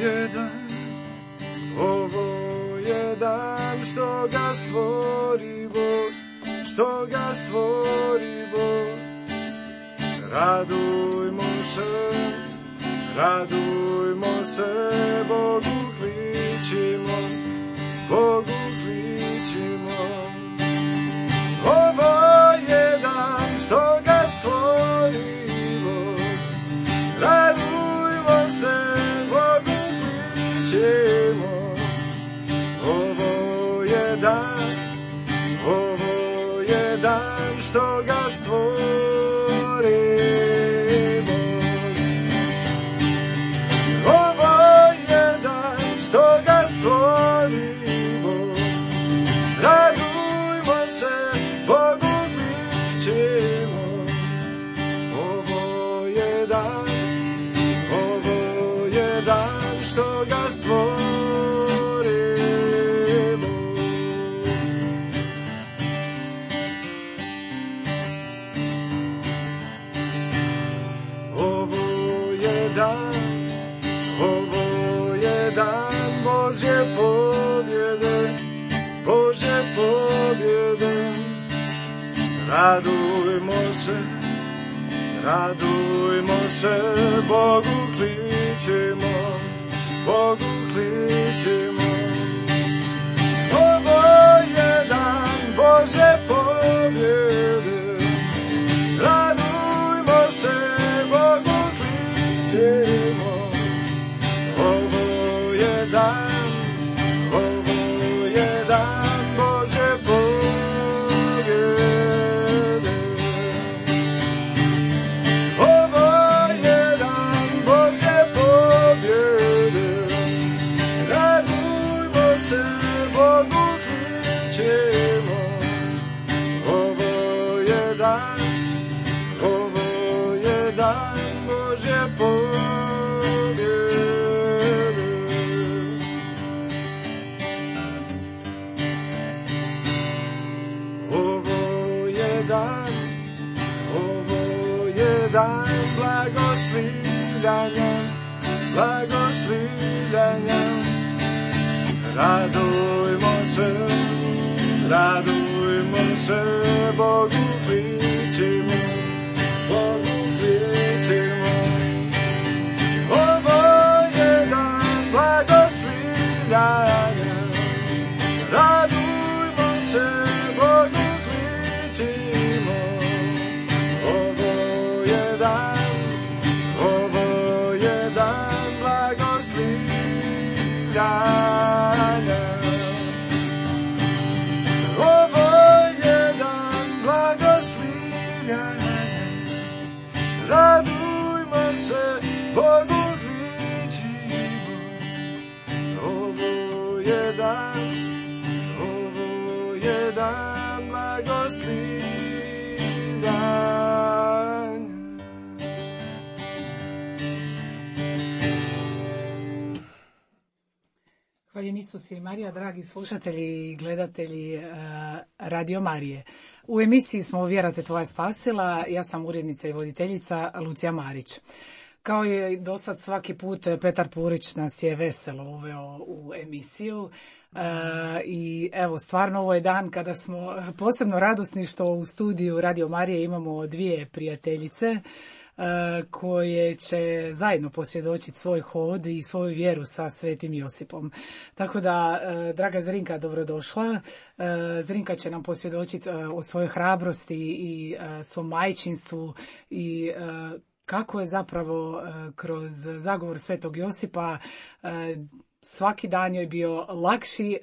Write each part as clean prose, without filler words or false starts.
je dan, ovo je dan što ga stvori Bog, što ga stvori Bog. Radujmo se, Bogu kličimo, Bogu kličimo. Ovo je dan što ga stvori Bog, radujmo se, Bogu kličimo. Ovo je dan što ga stvori Bog. Ovo je dan što ga stvori Bog, radujmo se, Bogu kličimo. Ovo je dan što ga stvori Bog. Ovo je dan Božje pobjede, Božje pobjede. Radujmo se, Bogu kličimo, Bogu kličimo. Ovo je dan Božje pobjede, radujmo se, Bogu kličimo. Ovo je dan Božje pobjede. Ovo je dan Božje pobjede, radujmo se, Bogu kličimo. Ovo je dan Božje pobjede. Ovo je dan blagoslivljanja. Radujmo se, Bogu kličimo, Bogu kličimo. Ovo je dan blagoslivljanja. Radujmo se, Bogu kličimo. Ovo je dan blagoslivljanja. Ovo je dan blagoslivljanja. Radujmo se, Bogu kličimo. Ovo je dan blagoslivljanja. Hvaljen Isus i Marija, dragi slušatelji i gledatelji Radio Marije. U emisiji smo Vjera te tvoja spasila, ja sam urednica i voditeljica Lucija Marić. Kao i dosad svaki put, Petar Purić nas je veselo uveo u emisiju. I evo, stvarno ovo je dan kada smo posebno radosni što u studiju Radio Marije imamo dvije prijateljice koje će zajedno posvjedočiti svoj hod i svoju vjeru sa Svetim Josipom. Tako da, draga Zrinka, dobrodošla. Zrinka će nam posvjedočiti o svojoj hrabrosti i svom majčinstvu i kako je zapravo kroz zagovor Svetog Josipa svaki dan joj bio lakši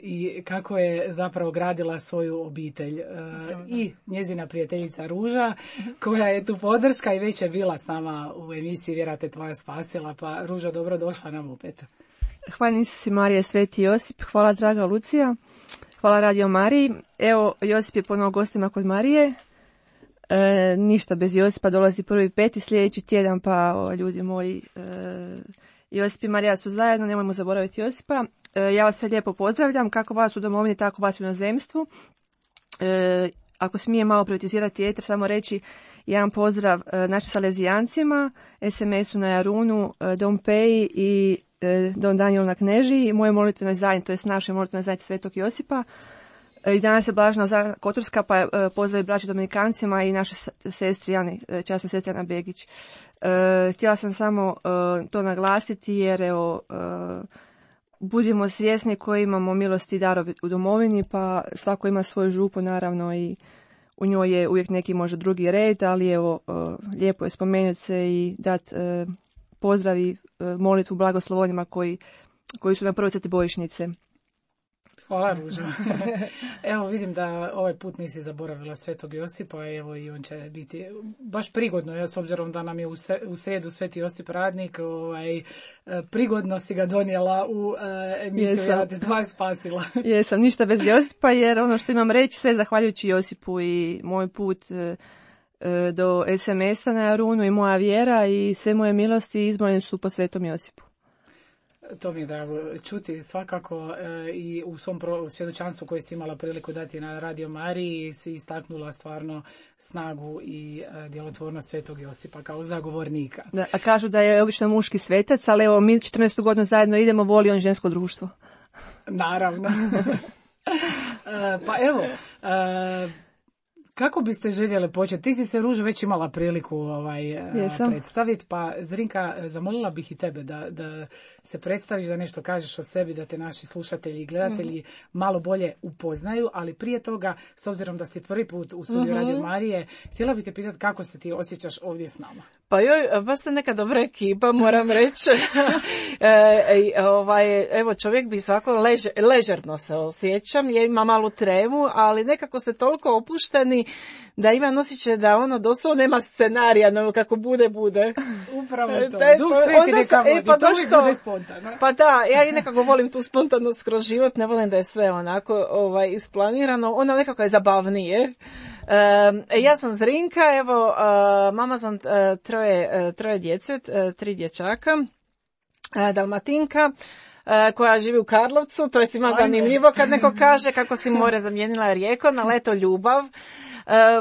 i kako je zapravo gradila svoju obitelj. I njezina prijateljica Ruža, koja je tu podrška i već je bila s nama u emisiji Vjera te tvoja spasila. Pa Ruža, dobrodošla nam opet. Hvala Isus i Marija, Sveti Josip. Hvala draga Lucija. Hvala Radio Mariji. Evo, Josip je ponovo gostima kod Marije. Ništa bez Josipa, dolazi 1.5. sljedeći tjedan, pa ljudi moji, Josip i Marija su zajedno, nemojmo zaboraviti Josipa. Ja vas sve lijepo pozdravljam, kako vas u domovini, tako vas u inozemstvu. Ako smijem malo privatizirati eter, samo reći jedan pozdrav našim salezijancima, SMS-u na Jarunu, Dom Peji i Don Danijel na Knežiji, moje molitvenoj zajednici, to jest našoj molitvenoj zajednici Svetog Josipa. I danas je Blažena Zana Kotorska, pa pozdravi braći Dominikancima i našoj sestri Ani, časnoj sestri Ana Begić. Htjela sam samo to naglasiti jer evo, budimo svjesni koji imamo milosti i darove u domovini, pa svako ima svoju župu naravno i u njoj je uvijek neki možda drugi red, ali evo, lijepo je spomenuti se i dati pozdravi, molitvu blagoslovonima koji su na prvoj crti bojišnice. Hvala, Ruža. Evo, vidim da ovaj put nisi zaboravila Svetog Josipa, evo i on će biti baš prigodno, s obzirom da nam je u srijedu Sveti Josip radnik, prigodno si ga donijela u emisiju Ja te tvoja spasila. Jesam, ništa bez Josipa, jer ono što imam reći, sve zahvaljujući Josipu i moj put do SMS-a na Jarunu i moja vjera i sve moje milosti izmoljene su po Svetom Josipu. To mi je drago čuti svakako i u svom svjedočanstvu koje si imala priliku dati na Radio Mariji si istaknula stvarno snagu i djelotvornost Svetog Josipa kao zagovornika. Da, a kažu da je obično muški svetac, ali evo mi 14. godinu zajedno idemo, voli on žensko društvo. Naravno. Pa evo, kako biste željeli početi? Ti si se, Ružo, već imala priliku predstaviti, pa Zrinka, zamolila bih i tebe da se predstaviš, da nešto kažeš o sebi, da te naši slušatelji i gledatelji malo bolje upoznaju, ali prije toga, s obzirom da si prvi put u studiju Radio Marije, htjela bih te pitati kako se ti osjećaš ovdje s nama. Pa joj, baš ste neka dobra ekipa, moram reći. Evo, čovjek bi svako ležerno se osjećam, ja imam malu tremu, ali nekako ste toliko opušteni da imam osjećaj da ono doslovno nema scenarija, no kako bude. Upravo to. Duh Sveti neka vodi, to uvijek bude spontano. Pa da, ja i nekako volim tu spontanost kroz život, ne volim da je sve onako isplanirano, ono nekako je zabavnije. Ja sam Zrinka, evo, mama sam troje djece, 3 dječaka, Dalmatinka, koja živi u Karlovcu, to je svima zanimljivo kad neko kaže kako si more zamijenila Rijeko na leto ljubav.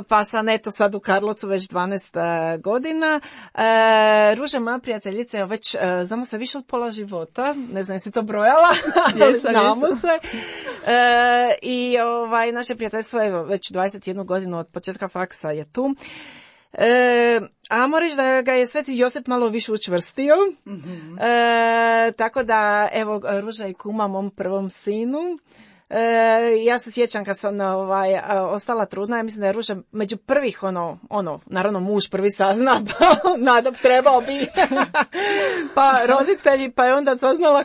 Pa sam eto sad u Karlovcu već 12 godina. Ruža, moja prijateljica, je već znamo se više od pola života, ne znam jesi to brojala, ali znamo se. I naše prijateljstvo je već 21 godinu od početka faksa je tu. A moram reći da ga je Sveti Josip malo više učvrstio. Tako da, evo, Ruža i kuma mom prvom sinu. Ja se sjećam kad sam ostala trudna, ja mislim da je Ruža među prvih naravno muž prvi sazna, pa nadam trebao bi, pa roditelji, pa je onda saznala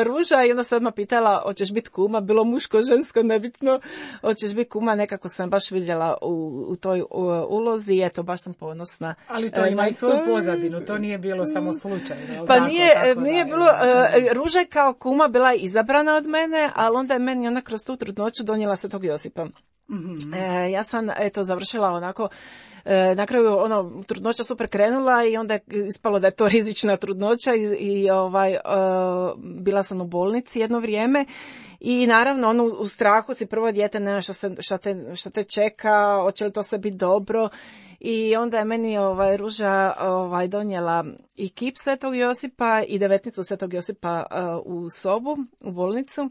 Ruža i onda se odmah pitala hoćeš biti kuma, bilo muško, žensko, nebitno, hoćeš biti kuma, nekako sam baš vidjela u toj ulozi i eto, baš sam ponosna. Ali to ima i svoju pozadinu, to nije bilo samo slučajno. Pa nije bilo, Ruža je kao kuma bila izabrana od mene, ali onda je meni ona kroz tu trudnoću donijela Svetog Josipa. Ja sam završila onako, na kraju trudnoća super krenula i onda je ispalo da je to rizična trudnoća i bila sam u bolnici jedno vrijeme i naravno u strahu si prvo dijete, ne šta te čeka, hoće li to sve biti dobro. I onda je meni Ruža donijela i kip Svetog Josipa i devetnicu Svetog Josipa u sobu, u bolnicu.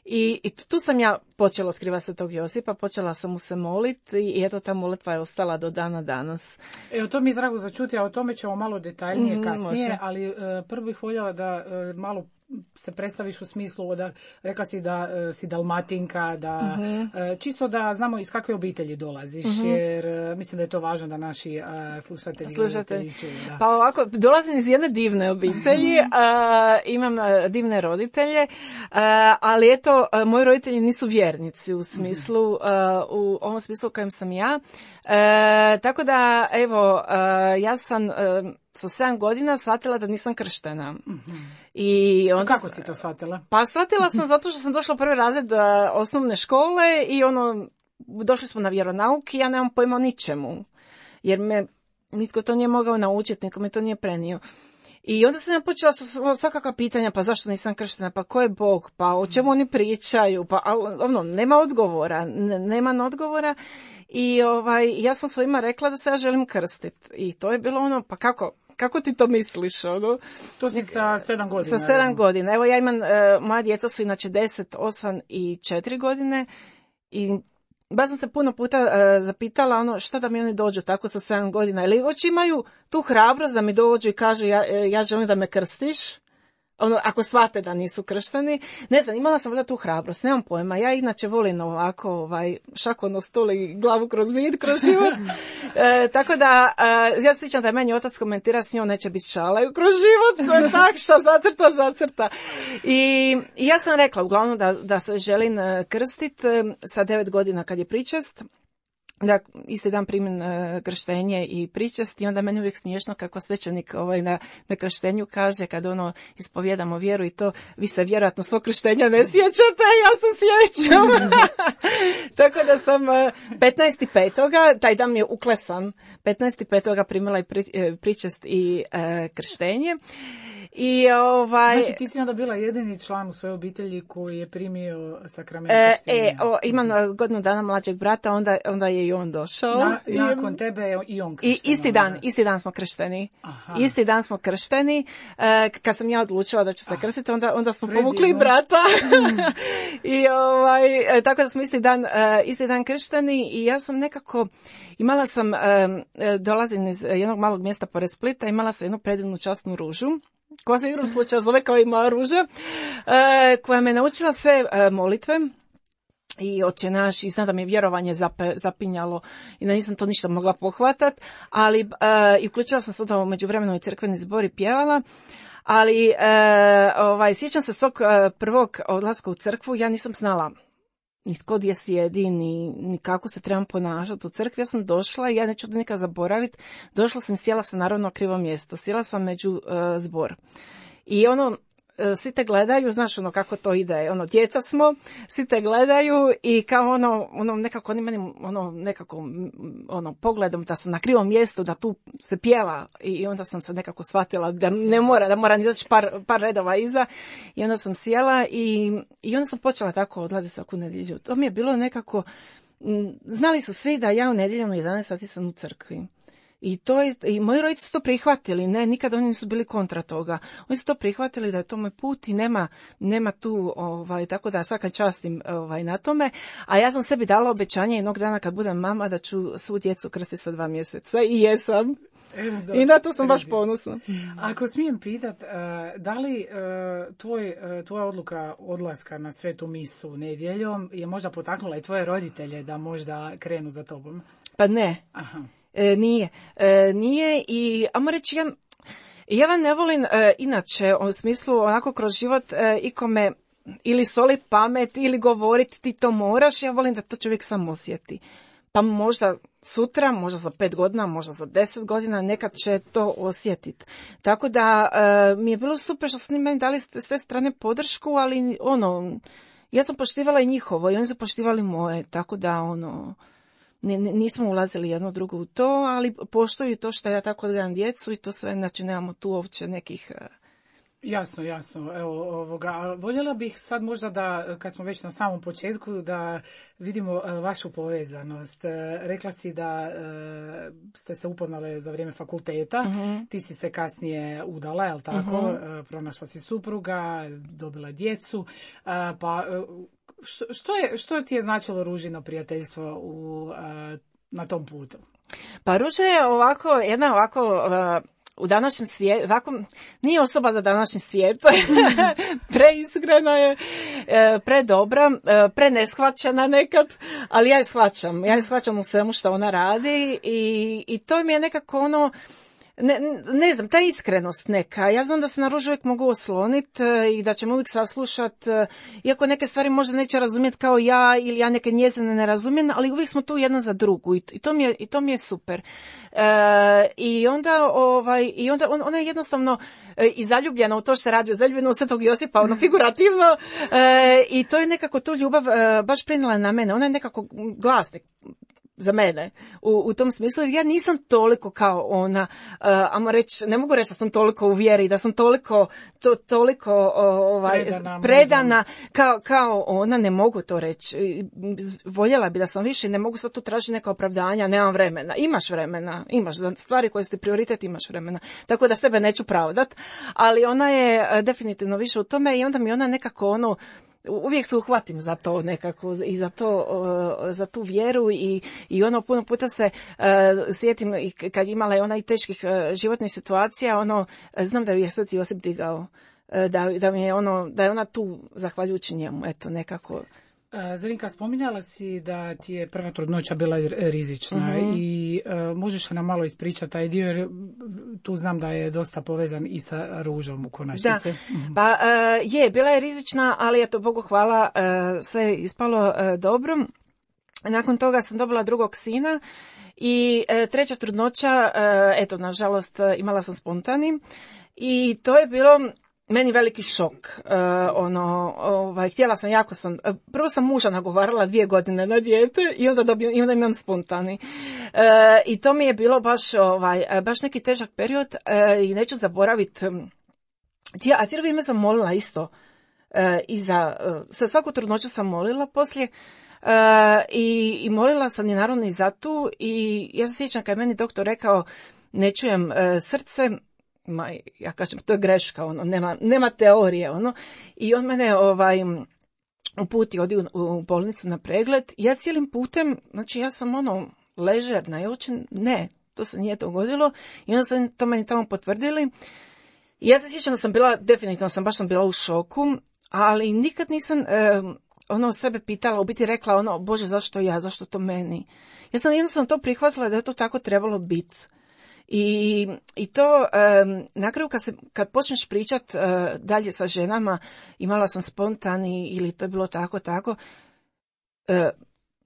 I tu sam ja počela otkrivati Svetog Josipa, počela sam mu se moliti i eto ta molitva je ostala do dana danas. Evo, to mi je drago začuti, a o tome ćemo malo detaljnije kasnije, ali prvo bih voljela da malo se predstaviš u smislu da rekla si da si Dalmatinka, da čisto da znamo iz kakve obitelji dolaziš, jer mislim da je to važno da naši slušatelji čuju. Pa ovako, dolazim iz jedne divne obitelji, imam divne roditelje, ali eto, moji roditelji nisu vjernici u smislu, u ovom smislu u kojem sam ja. Tako da, evo, ja sam sa 7 godina shvatila da nisam krštena. I onda, kako si to shvatila? Pa shvatila sam zato što sam došla u prvi razred osnovne škole i došli smo na vjeronauk i ja nemam pojma o ničemu. Jer me nitko to nije mogao naučiti, niko me to nije prenio. I onda sam ja počela svakakva pitanja, pa zašto nisam krštena, pa ko je Bog, pa o čemu oni pričaju, pa nema odgovora, nema odgovora. I ja sam svojima rekla da se ja želim krstiti. I to je bilo pa kako, kako ti to misliš, ono? To si sa 7 godina. Sa 7 godina. Evo ja imam, moja djeca su inače 10, 8 i 4 godine i baš sam se puno puta zapitala ono što da mi oni dođu tako sa 7 godina. Ili hoće imaju tu hrabrost da mi dođu i kažu ja želim da me krstiš. Ono, ako shvate da nisu kršteni. Ne znam, imala sam tu hrabrost, nemam pojma. Ja inače volim ovako šako na stol i glavu kroz zid, kroz život. Tako da, ja se sjećam da je meni otac komentira s njom neće biti šalaju kroz život. To je tak, šta zacrta. I ja sam rekla uglavnom da se želim krstiti sa 9 godina kad je pričest. Da, isti dan primim krštenje i pričest i onda meni uvijek smiješno kako svećenik na krštenju kaže kad ispovijedamo vjeru i to, vi se vjerojatno svog krštenja ne sjećate, ja se sjećam. Tako da sam 15.5. taj dan mi je uklesan, 15.5. primila i pričest i krštenje. I Znači ti si onda bila jedini član u svojoj obitelji koji je primio sakrament krštenja. Imam godinu dana mlađeg brata, onda je i on došao. Nakon tebe je i on kršten. Isti dan smo kršteni. Aha. Isti dan smo kršteni. Kad sam ja odlučila da ću se krstiti, onda smo povukli i brata. I tako da smo isti dan kršteni i ja sam nekako imala sam, dolazim iz jednog malog mjesta pored Splita, imala sam jednu predivnu časnu ružu, koja se igrom slučaja zove kao i moja ruža, koja me naučila sve molitve i Oče naš, i znam da mi je vjerovanje zapinjalo i da nisam to ništa mogla pohvatat, ali i uključila sam se onda u međuvremenu i crkveni zbor i pjevala, ali sjećam se svog prvog odlaska u crkvu, ja nisam znala ni tko gdje sjedi, ni kako se trebam ponašati u crkvi. Ja sam došla i ja neću to nikad zaboraviti. Došla sam, sjela sam naravno na krivo mjesto. Sjela sam među zbor. I svi te gledaju, znaš kako to ide. Djeca smo, svi te gledaju i kao nekako oni meni nekako pogledom da sam na krivom mjestu, da tu se pjeva i onda sam se nekako shvatila da moram izaći par redova iza i onda sam sjela i onda sam počela tako odlaziti svaku nedjelju. To mi je bilo nekako, znali su svi da ja u nedjeljom u 11 sati sam u crkvi. I moji roditelji su to prihvatili, ne, nikad oni nisu bili kontra toga. Oni su to prihvatili da je to moj put i nema tu, tako da svaka častim na tome. A ja sam sebi dala obećanje jednog dana kad budem mama da ću svu djecu krstiti sa 2 mjeseca i jesam. I na to sam baš ponosna. Ako smijem pitat, da li tvoja odluka odlaska na svetu misu nedjeljom je možda potaknula i tvoje roditelje da možda krenu za tobom? Pa ne. Aha. Nije i ajmo reći ja vam ne volim inače u smislu onako kroz život ikome ili solit pamet ili govoriti ti to moraš, ja volim da to čovjek sam osjeti. Pa možda sutra, možda za 5 godina, možda za 10 godina nekad će to osjetiti. Tako da mi je bilo super što su oni meni dali s te strane podršku, ali ja sam poštivala i njihovo i oni su poštivali moje, tako da nismo ulazili jedno drugo u to, ali poštuju to što ja tako odgledam djecu i to sve, znači nemamo tu uopće nekih... Jasno. Evo, voljela bih sad možda da, kad smo već na samom početku, da vidimo vašu povezanost. Rekla si da ste se upoznale za vrijeme fakulteta, ti si se kasnije udala, jel tako? Pronašla si supruga, dobila djecu, pa... Što ti je značilo Ružino prijateljstvo na tom putu? Pa Ruža je jedna u današnjem svijetu, nije osoba za današnji svijet, preiskrena je, predobra, preneshvaćena nekad, ali ja je shvaćam u svemu što ona radi i to mi je nekako ne znam, ta iskrenost neka. Ja znam da se na Ružu uvijek mogu osloniti i da će me uvijek saslušati, iako neke stvari možda neće razumjeti kao ja ili ja neke njezine ne razumijem, ali uvijek smo tu jedna za drugu i to mi je super. I onda ona je jednostavno i zaljubljena u to što se radi, zaljubljena u Svetog Josipa, figurativno, i to je nekako tu ljubav baš prenijela na mene. Ona je nekako glasnik. za mene, u tom smislu, jer ja nisam toliko kao ona, ajmo reći, ne mogu reći da sam toliko u vjeri, da sam toliko predana kao ona, ne mogu to reći. Voljela bi da sam više, ne mogu sad tu tražiti neka opravdanja, nemam vremena. Imaš vremena, imaš za stvari koje su ti prioritet, imaš vremena. Tako da sebe neću pravdat, ali ona je definitivno više u tome i onda mi ona nekako uvijek se uhvatim za to nekako i za tu vjeru i puno puta se sjetim kad imala je ona i teških životnih situacija, znam da ju je Sveti Josip digao, da mi je da je ona tu zahvaljujući njemu, eto nekako. Zrinka, spominjala si da ti je prva trudnoća bila rizična i možeš nam malo ispričati taj dio, jer tu znam da je dosta povezan i sa Ružom u konačnici. Da, bila je rizična, ali eto, Bogu hvala, sve je ispalo dobro. Nakon toga sam dobila drugog sina i treća trudnoća, eto, nažalost, imala sam spontani i to je bilo meni veliki šok. Htjela sam, prvo sam muža nagovarala 2 godine na dijete i onda imam spontani. I to mi je bilo baš neki težak period i neću zaboraviti. A cijelo vrijeme sam molila isto. Sa svaku trudnoću sam molila poslije. I molila sam i naravno i za tu. I ja se sjećam kad je meni doktor rekao ne čujem srce, ja kažem, to je greška, nema teorije, i on mene uputi, odi u bolnicu na pregled, ja cijelim putem, znači ja sam ležerna, ja uopće ne, to se nije dogodilo, i onda su to meni tamo potvrdili, i ja se sjećam da sam bila, definitivno baš sam bila u šoku, ali nikad nisam sebe pitala, u biti rekla Bože, zašto ja, zašto to meni? Ja sam jednostavno to prihvatila da je to tako trebalo biti. I to na kraju kad počneš pričat dalje sa ženama, imala sam spontani ili to je bilo tako,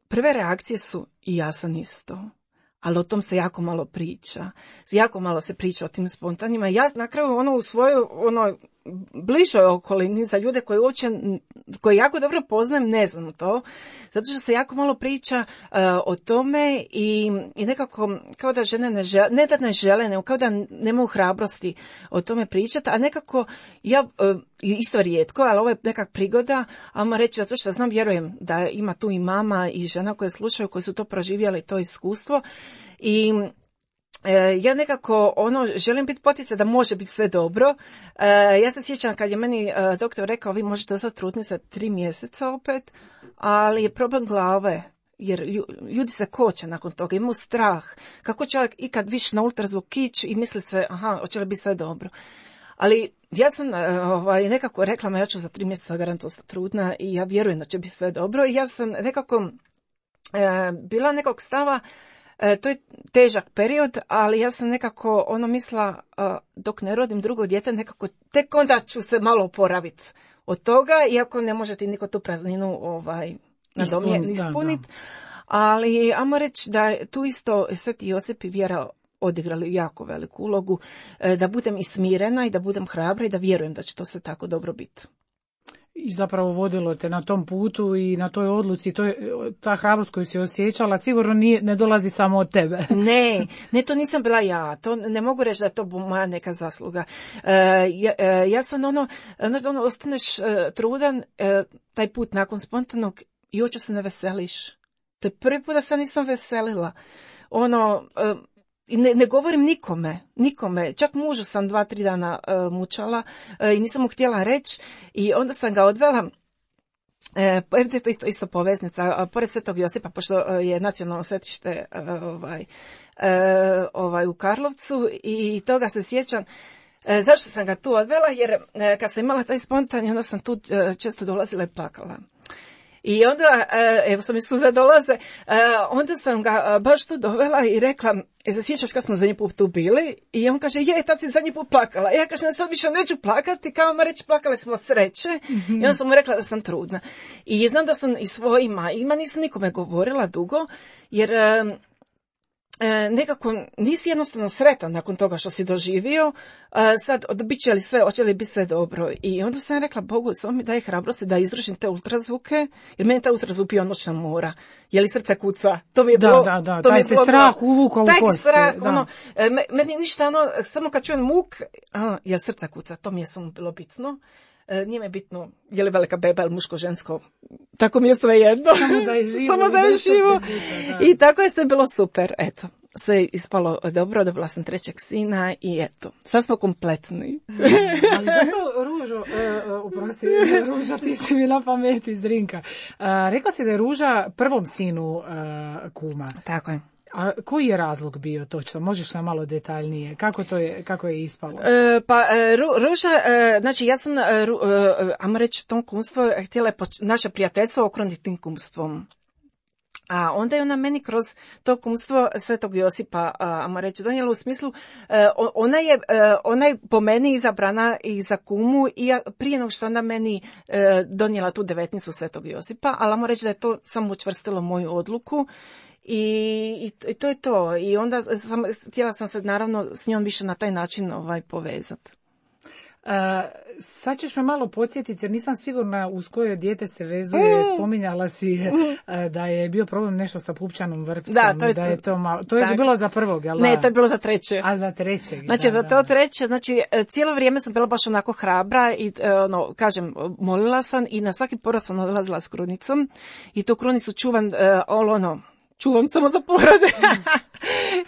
prve reakcije su i ja sam isto. Ali o tom se jako malo priča. Jako malo se priča o tim spontanima. Ja na kraju u svojoj bližoj okolini za ljude koji jako dobro poznajem, ne znam to. Zato što se jako malo priča o tome i nekako kao da žene ne žele, nego kao da nemaju hrabrosti o tome pričati, a nekako ja isto rijetko, ali ovo je nekak prigoda, ajmo reći, zato što vjerujem da ima tu i mama i žena koje slušaju, koje su to proživjeli, to iskustvo, i ja nekako želim biti poticaj da može biti sve dobro. Ja se sjećam kad je meni doktor rekao vi možete ostati trudni za 3 mjeseca opet, ali je problem glave, jer ljudi se koče nakon toga, imaju strah. Kako čovjek ikad više na ultrazvuk ići i misli se hoće li biti sve dobro. Ali ja sam nekako rekla, ja ću za 3 mjeseca garanto ostati trudna i ja vjerujem da će biti sve dobro. I ja sam nekako bila nekog stava, to je težak period, ali ja sam nekako mislila dok ne rodim drugo dijete, nekako tek onda ću se malo oporaviti od toga, iako ne može ti niko tu prazninu ispuniti. Ali ajmo reći da je tu isto Sveti Josip i vjera odigrali jako veliku ulogu, da budem i smirena i da budem hrabra i da vjerujem da će to sve tako dobro biti. I zapravo vodilo te na tom putu i na toj odluci, ta hrabrost koju si osjećala sigurno ne dolazi samo od tebe. Ne, to nisam bila ja, to ne mogu reći da je to moja neka zasluga. Ja sam ostaneš trudan, taj put nakon spontanog i uopće se ne veseliš. To je prvi put da se nisam veselila. Ne govorim nikome, čak mužu sam 2-3 dana mučala i nisam mu htjela reći i onda sam ga odvela, to isto poveznica, pored Svetog Josipa, pošto je nacionalno svetište u Karlovcu i toga se sjećam. Zašto sam ga tu odvela? Jer kad sam imala taj spontani, onda sam tu često dolazila i plakala. I onda, evo sam i suze dolaze, onda sam ga baš tu dovela i rekla, se sjećaš kad smo zadnji put tu bili? I on kaže, tad si zadnji put plakala. Ja kažem, sad više neću plakati, kao ma reći, plakali smo od sreće. I onda sam mu rekla da sam trudna. I znam da sam i svojima, nisam nikome govorila dugo, jer nekako nisi jednostavno sretan nakon toga što si doživio, sad hoće li biti sve dobro. I onda sam rekla Bogu, samo mi daj hrabrosti da izvršim te ultrazvuke, jer meni taj ultrazvuk bio noćna mora. Je li srce kuca? To mi je bilo... Da, taj se strah uvukao u kosti. Taj strah, meni ništa, samo kad čujem muk, je srce kuca, to mi je samo bilo bitno. Nije mi bitno je li velika beba ili muško, žensko, tako mi je sve jedno. Samo da je živo. I tako je sve bilo super, eto. Sve je ispalo dobro, dobila sam 3. sina i eto, sad smo kompletni. Ali zapravo, Ruža, ti si mi na pameti iz Drinka. Rekla si da je Ruža prvom sinu kuma. Tako je. A koji je razlog bio točno? Možeš nam malo detaljnije? Kako je ispalo? Ruža, znači ja sam, ajmo reći, tom kumstvo htjela je naše prijateljstvo okruniti tim kumstvom. A onda je ona meni kroz to kumstvo Svetog Josipa, ajmo reći, donijela u smislu, ona je po meni izabrana i za kumu i prije nego što ona meni donijela tu 19. Svetog Josipa, ali ajmo reći da je to samo učvrstilo moju odluku. I to je to. I onda htjela sam se naravno s njom više na taj način povezati. Sad ćeš me malo podsjetiti jer nisam sigurna uz koje dijete se vezuje. Spominjala si da je bio problem nešto sa pupčanom vrpcom. To je bilo za prvog, jel da? Ne, to je bilo za 3. A za 3. Znači za to 3. Znači cijelo vrijeme sam bila baš onako hrabra i kažem, molila sam i na svaki porod sam odlazila s krunicom i tu krunicu čuvam čuvam samo za porode.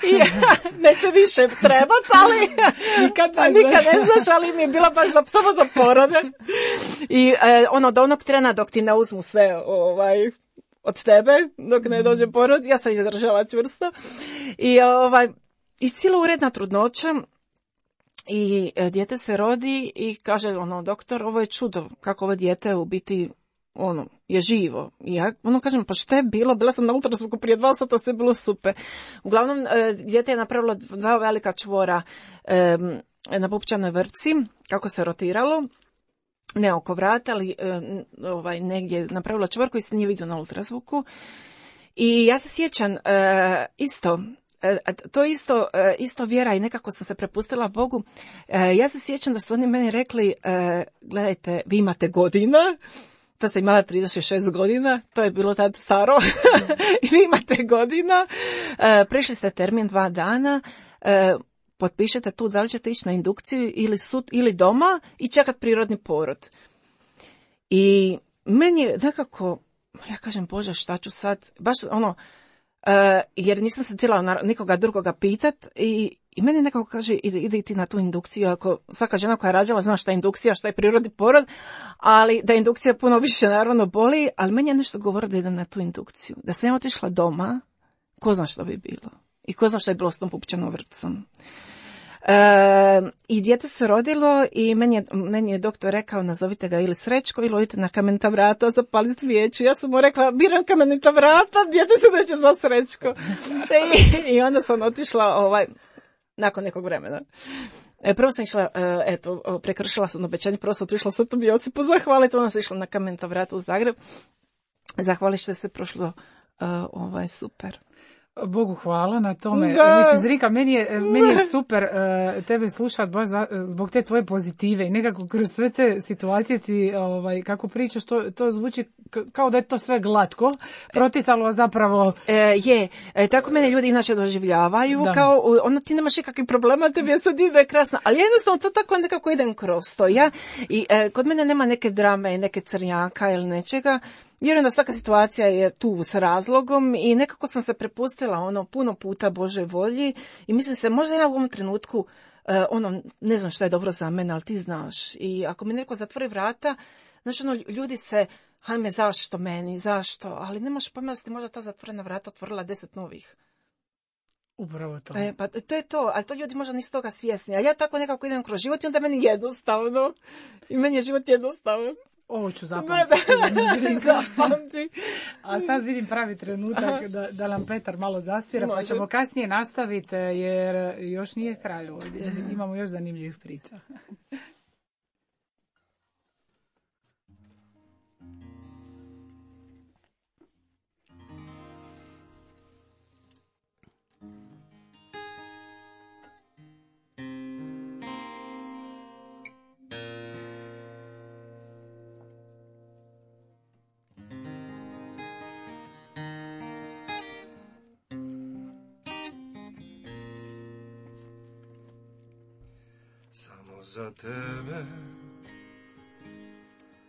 I neće više trebati, ali nikad ne znaš, ali mi je bila baš samo za porode. I do onog trena dok ti ne uzmu sve od tebe, dok ne dođe porod, ja sam ih držala čvrsto. I cijela uredna trudnoća. I dijete se rodi i kaže doktor, ovo je čudo, kako ovo dijete u biti je živo. I ja kažem, pa šta je bilo? Bila sam na ultrazvuku prije 2 sata, sve je bilo super. Uglavnom, dijete je napravilo 2 velika čvora na pupčanoj vrpci, kako se rotiralo, ne oko vrata, ali negdje je napravila čvor koji se nije vidio na ultrazvuku. I ja se sjećam to isto vjera i nekako sam se prepustila Bogu. Ja se sjećam da su oni meni rekli, gledajte, vi imate godina, da sam imala 36 godina, to je bilo tad staro, i vi imate godina, prešli ste termin 2 dana, potpišete tu da li ćete ići na indukciju ili doma i čekat prirodni porod. I meni je nekako, ja kažem, Bože, šta ću sad, baš jer nisam se htjela nikoga drugoga pitat i meni nekako kaže, ide ti na tu indukciju, ako svaka žena koja je rađala zna šta je indukcija, šta je prirodni porod, ali da indukcija puno više naravno boli, ali meni je nešto govorilo da idem na tu indukciju. Da sam ja otišla doma, ko zna što bi bilo. I ko zna što je bilo s tom pupčanom vrpcom. I dijete se rodilo i meni je doktor rekao, nazovite ga ili Srećko ili odite na Kamenita vrata, zapali svijeću. Ja sam mu rekla, biram Kamenita vrata, dijete se neće zvati Srećko. I onda sam otišla nakon nekog vremena. Prvo sam išla, prekršila sam obećanje, prvo sam otišla Svetom Josipu zahvaliti, onda sam išla na Kamenita vrata u Zagreb. Zahvali što se prošlo super. Bogu hvala na tome. Mislim, Zrika, meni je super tebe slušati baš zbog te tvoje pozitive i nekako kroz sve te situacije si, kako pričaš, to zvuči kao da je to sve glatko, protisalo zapravo... Tako mene ljudi inače doživljavaju, kao ti nemaš nikakvih problema, tebi je sad ide krasno, ali jednostavno to tako nekako idem kroz to. Kod mene nema neke drame i neke crnjaka ili nečega. Vjerujem da svaka situacija je tu s razlogom i nekako sam se prepustila puno puta Božoj volji i mislim se, možda ja u ovom trenutku ne znam šta je dobro za mene, ali ti znaš. I ako mi neko zatvori vrata, znaš, ljudi se, hajme, zašto meni, zašto, ali nemaš pojma da ste možda ta zatvorena vrata otvorila 10 novih. Upravo to. Pa to je to, ali to ljudi možda nisu toga svjesni. A ja tako nekako idem kroz život i onda meni jednostavno. I meni je život jednostavno. Ovo ću zapamtiti. Zapamti. A sad vidim pravi trenutak da nam Petar malo zasvira, pa ćemo kasnije nastaviti jer još nije kraj ovdje. Imamo još zanimljivih priča. za tebe,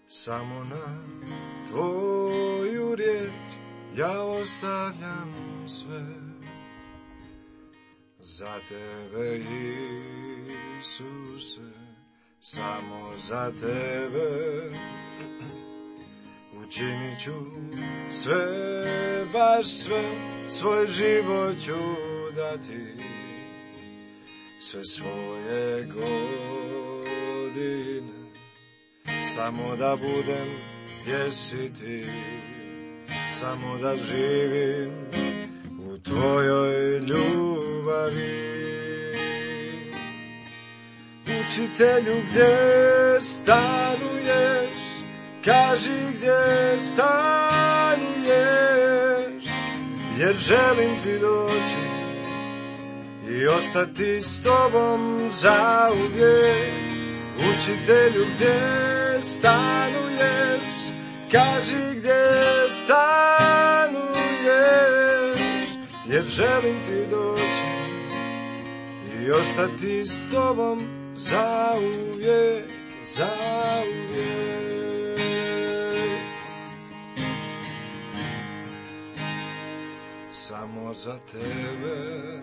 samo na tvoju riječ ja ostavljam sve. Za tebe, Isuse, samo za tebe učinit ću sve, baš sve, svoj život ću dati, sve svoje godine, samo da budem gdje si ti, samo da živim u tvojoj ljubavi. Učitelju, gdje stanuješ, kaži gdje stanuješ, jer želim ti doći i ostati s tobom zauvijek. Učitelju, gdje stanuješ, kaži gdje stanuješ, jer želim ti doći i ostati s tobom zauvijek, zauvijek. Samo za tebe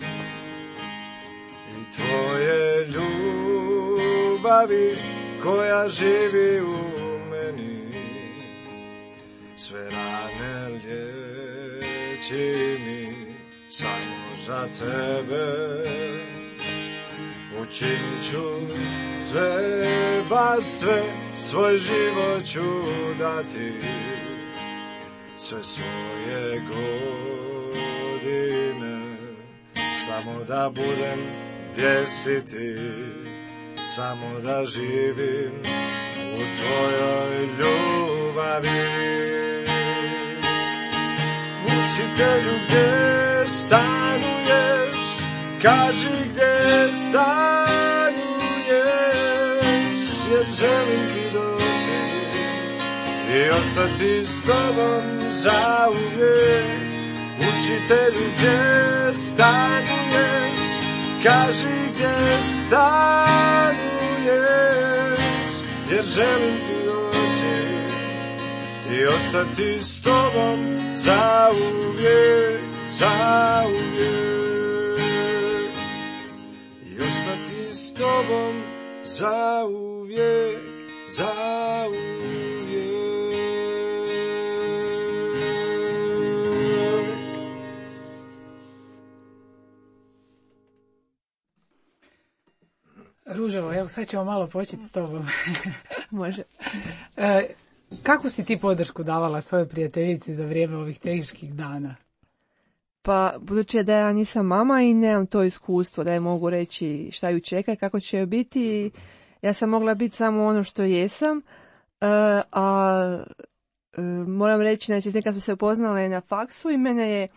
i tvoje ljubavi koja živi u meni, sve rane liječi mi, samo za tebe učinit ću sve, baš sve, svoj život ću dati, sve svoje godine, samo da budem gdje si ti, samo da živim u tvojoj ljubavi. Učitelju, gdje stanuješ, kaži gdje stanuješ, jer želim ti doći i ostati s tobom zauvijek. Učitelju, gdje stanuješ, kaži gdje stanuješ, jer želim ti doći i ostati s tobom zauvijek, zauvijek, i ostati s tobom zauvijek, zauvijek. Ruževo, evo sad ćemo malo početi s tobom. Može. Kako si ti podršku davala svojoj prijateljici za vrijeme ovih teških dana? Pa, budući da ja nisam mama i nemam to iskustvo da je mogu reći šta ju čeka i kako će joj biti, ja sam mogla biti samo ono što jesam, moram reći, znači, nekad smo se upoznale na faksu i mene je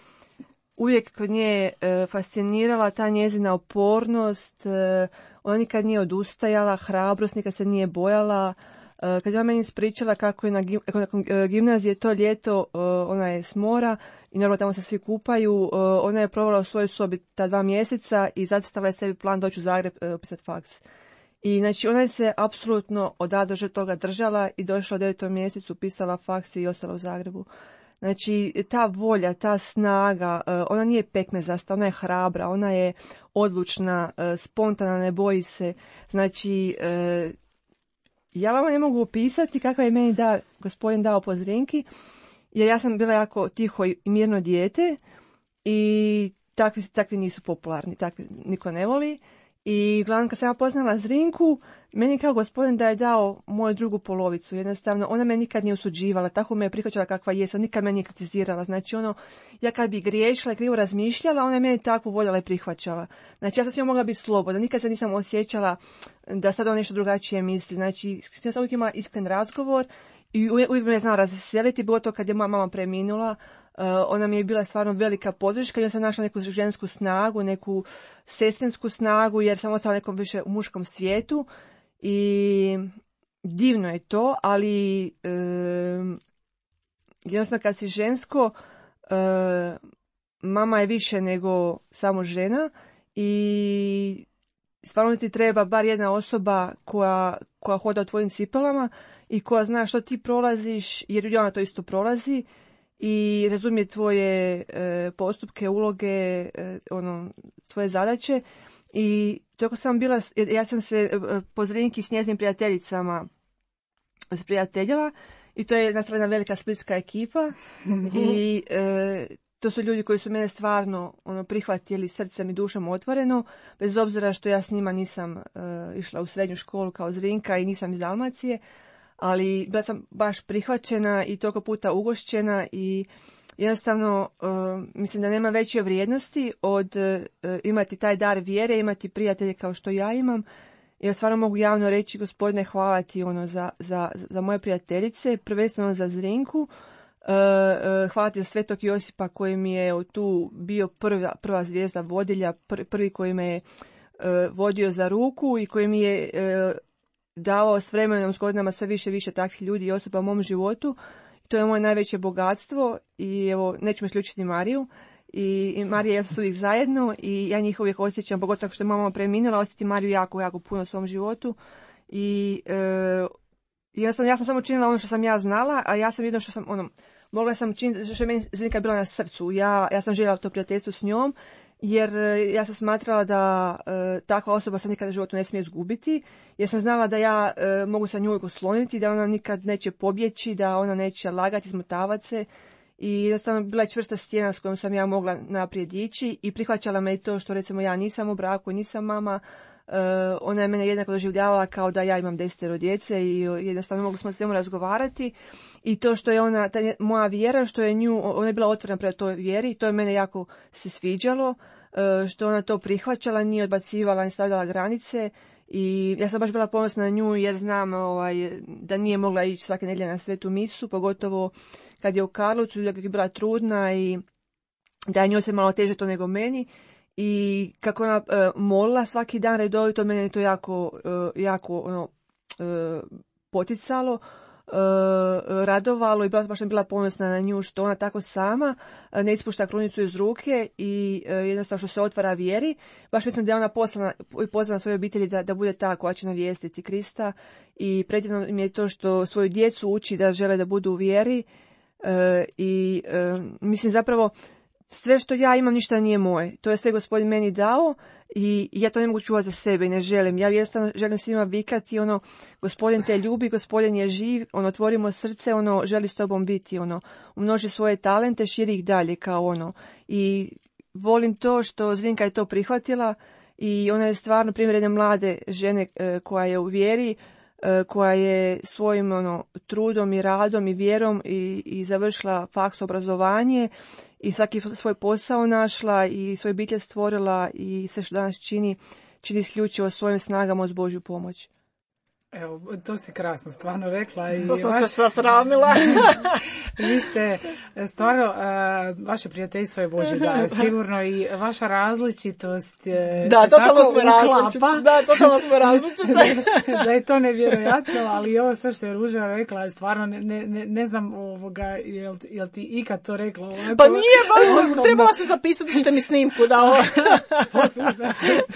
uvijek kod nje fascinirala ta njezina opornost, ona nikad nije odustajala, hrabrost, nikad se nije bojala. Kad je ona meni ispričala kako je nakon gimnazije to ljeto, ona je s mora i naravno tamo se svi kupaju, ona je provela u svojoj sobi ta 2 mjeseca i zacrtala je sebi plan doći u Zagreb upisati faks. I znači ona je se apsolutno od A do Ž toga držala i došla u 9. mjesecu, upisala faks i ostala u Zagrebu. Znači, ta volja, ta snaga, ona nije pekmezasta, ona je hrabra, ona je odlučna, spontana, ne boji se. Znači, ja vama ne mogu opisati kakav je meni gospodin dao po Zrinki, jer ja sam bila jako tiho i mirno dijete i takvi nisu popularni, takvi niko ne voli. I glavno kad sam ja poznala Zrinku, meni kao gospodin da je dao moju drugu polovicu. Jednostavno, ona me nikad nije osuđivala, tako me je prihvaćala kakva jesam, nikad me nije kritizirala. Znači, ja kad bi griješila i krivo razmišljala, ona je mene takvu voljela i prihvaćala. Znači, ja sam s njom mogla biti slobodna, nikad se nisam osjećala da sad ona nešto drugačije misli. Znači, ja sam uvijek imala iskren razgovor i uvijek me znala razveseliti, bilo to kad je moja mama preminula. Ona mi je bila stvarno velika podrška i onda sam našla neku žensku snagu, neku sestrinsku snagu, jer sam ostala nekom više u muškom svijetu i divno je to, ali jednostavno kad si žensko, mama je više nego samo žena i stvarno ti treba bar jedna osoba koja hoda u tvojim cipelama i koja zna što ti prolaziš, jer ona to isto prolazi i razumije tvoje postupke, uloge, tvoje zadaće. I toko sam bila, ja sam se po Zrinki s njezinim prijateljicama sprijateljila i to je jedna velika splitska ekipa i to su ljudi koji su mene stvarno prihvatili srcem i dušom otvoreno, bez obzira što ja s njima nisam išla u srednju školu kao Zrinka i nisam iz Dalmacije, ali bila sam baš prihvaćena i toliko puta ugošćena i jednostavno mislim da nema veće vrijednosti od imati taj dar vjere, imati prijatelje kao što ja imam. Ja stvarno mogu javno reći, Gospodine, hvala ti za moje prijateljice, prvenstveno za Zrinku. Hvala ti za Svetog Josipa koji mi je tu bio prva zvijezda vodilja, prvi koji me je vodio za ruku i koji mi je davao s vremenom, s godinama sve više takvih ljudi i osoba u mom životu. To je moje najveće bogatstvo i evo, neću me isključiti Mariju. I Marija i ja su uvijek zajedno i ja njih uvijek osjećam, pogotovo što je mama preminula, osjećam Mariju jako puno u svom životu. I ja sam samo činila ono što sam ja znala, a ja sam jedno što sam, mogla sam činiti što je meni Zrinka bila na srcu. Ja sam željela to prijateljstvo s njom, jer ja sam smatrala da takva osoba se nikada u životu ne smije izgubiti, jer sam znala da ja mogu sa nju uvijek osloniti, da ona nikad neće pobjeći, da ona neće lagati, smotavati se. I jednostavno bila je čvrsta stijena s kojom sam ja mogla naprijed ići i prihvaćala me i to što recimo ja nisam u braku, nisam mama. Ona je mene jednako doživljavala kao da ja imam 10 djece i jednostavno mogli smo s njom razgovarati. I to što je ona, moja vjera, što je ona je bila otvorena prema toj vjeri, to je mene jako se sviđalo, što ona to prihvaćala, nije odbacivala, nije stavljala granice. I ja sam baš bila ponosna na nju jer znam da nije mogla ići svake nedjelje na svetu misu, pogotovo kad je u Karlovcu, da je bila trudna i da je njoj se malo teže to nego meni. I kako ona molila svaki dan redovito, mene je to jako poticalo, radovalo i baš sam bila ponosna na nju što ona tako sama ne ispušta krunicu iz ruke i jednostavno što se otvara vjeri. Baš mislim da je ona pozvana svojoj obitelji da bude ta koja će navijestiti Krista i predivno mi je to što svoju djecu uči da žele da budu u vjeri i mislim zapravo sve što ja imam ništa nije moje. To je sve Gospodin meni dao i ja to ne mogu čuvati za sebe i ne želim. Ja jednostavno želim svima vikati Gospodin te ljubi, Gospodin je živ, otvorimo srce, želi s tobom biti, umnoži svoje talente, širi ih dalje kao I volim to što Zrinka je to prihvatila i ona je stvarno primjer jedne mlade žene koja je u vjeri, koja je svojim trudom i radom i vjerom i završila faks obrazovanje i svaki svoj posao našla i svoj obitelj stvorila i sve što danas čini isključivo svojim snagama uz Božju pomoć. Evo, to si krasno stvarno rekla. I to sam se sasramila. Vi ste stvarno, vaše prijateljstvo je Božji dar, sigurno i vaša različitost da, totalno smo različiti. Da, totalno smo različiti. Da je to nevjerojatno, ali ovo sve što je Ruža rekla, stvarno ne znam jel ti ikad to rekla? Pa nije baš, trebala se zapisati što mi snimku dao.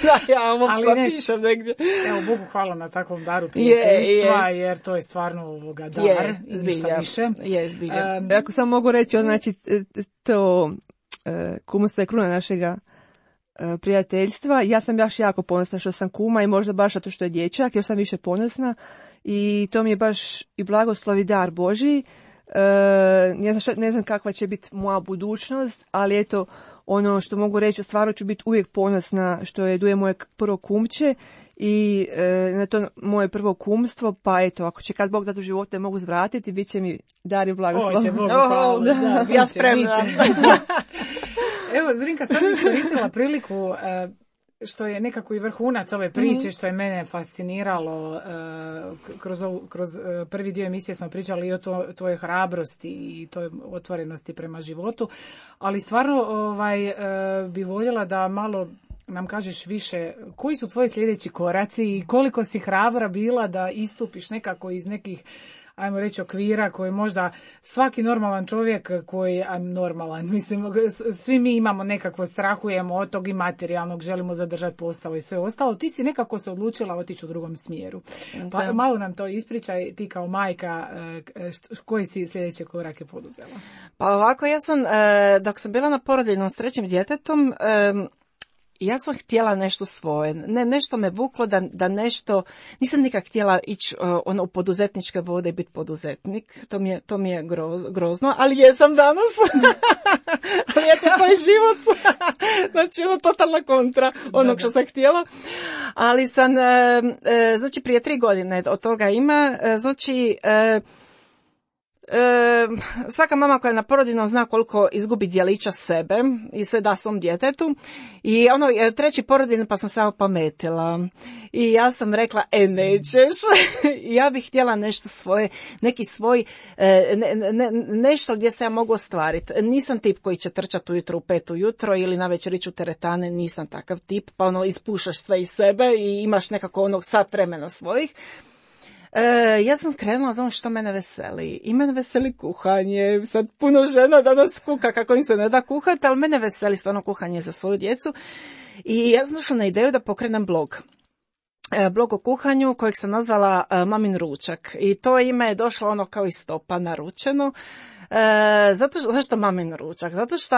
Da, ja ovo zapišem negdje. Evo, Bogu hvala na takvom daru prijateljstva, jer to je stvarno dar i ništa više. Ako sam mogu reći, znači to kumstvo je kruna našega prijateljstva. Ja sam baš jako ponosna što sam kuma i možda baš zato što je dječak, još sam više ponosna i to mi je baš i blagoslov i dar Božji. Ne znam kakva će biti moja budućnost, ali eto, ono što mogu reći, stvarno ću biti uvijek ponosna što je Duje moje prvo kumče i na to moje prvo kumstvo, pa eto, ako će kad Bog dati u životu mogu zvratiti, bit će mi dar i blagoslov. Oće, Bogu hvala. Da, ja spremna. Evo, Zrinka, sad bih iskoristila priliku što je nekako i vrhunac ove priče, što je mene fasciniralo. Kroz prvi dio emisije smo pričali i o tvojoj hrabrosti i toj otvorenosti prema životu, ali stvarno bi voljela da malo nam kažeš više koji su tvoji sljedeći koraci i koliko si hrabra bila da istupiš nekako iz nekih ajmo reći, okvira koji možda svaki normalan čovjek koji, normalan, mislim, svi mi imamo nekako, strahujemo od tog i materijalnog, želimo zadržati posao i sve ostalo. Ti si nekako se odlučila otići u drugom smjeru. Pa malo nam to ispričaj, ti kao majka, koji si sljedeće korake poduzela? Pa ovako, ja sam, dok sam bila na porodiljnom s 3. djetetom, ja sam htjela nešto svoje. Nešto me vuklo da nešto, nisam nikak htjela ići u poduzetničke vode i biti poduzetnik. To mi je grozno, ali jesam danas. Ali to je život. Znači, totalna kontra onog što sam htjela. Ali sam, znači, prije 3 godine od toga ima, znači, svaka mama koja je na porodiljnom zna koliko izgubi djelića sebe i sve da svom djetetu. I 3. porodiljni pa sam se opametila. I ja sam rekla, nećeš. Ja bih htjela nešto svoje, neki svoj, nešto gdje se ja mogu ostvariti. Nisam tip koji će trčati ujutro u 5 ujutro ili navečer ići u teretane, nisam takav tip. Pa ispušaš sve iz sebe i imaš nekako sat vremena svojih. Ja sam krenula za ono što mene veseli. I mene veseli kuhanje. Sad puno žena danas kuha kako im se ne da kuhati, ali mene veseli stvarno kuhanje za svoju djecu. I ja sam došla na ideju da pokrenem blog. Blog o kuhanju kojeg sam nazvala Mamin ručak. I to ime je došlo kao iz stopa naručeno. Zašto Mamin ručak? Zato što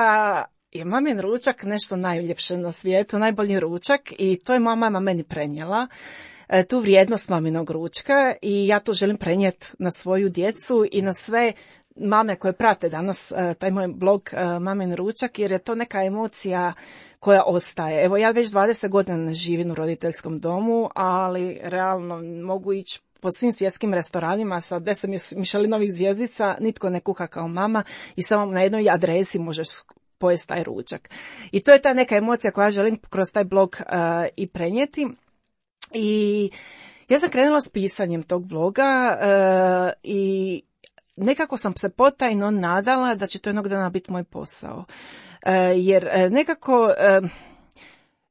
je Mamin ručak nešto najljepše na svijetu, najbolji ručak i to je moja mama meni prenijela. Tu vrijednost maminog ručka i ja to želim prenijeti na svoju djecu i na sve mame koje prate danas taj moj blog Mamin ručak, jer je to neka emocija koja ostaje. Evo, ja već 20 godina ne živim u roditeljskom domu, ali realno mogu ići po svim svjetskim restoranima sa 10 Michelinovih zvjezdica, nitko ne kuha kao mama i samo na jednoj adresi možeš pojesti taj ručak. I to je ta neka emocija koja želim kroz taj blog i prenijeti. I ja sam krenula s pisanjem tog bloga i nekako sam se potajno nadala da će to jednog dana biti moj posao. Jer nekako,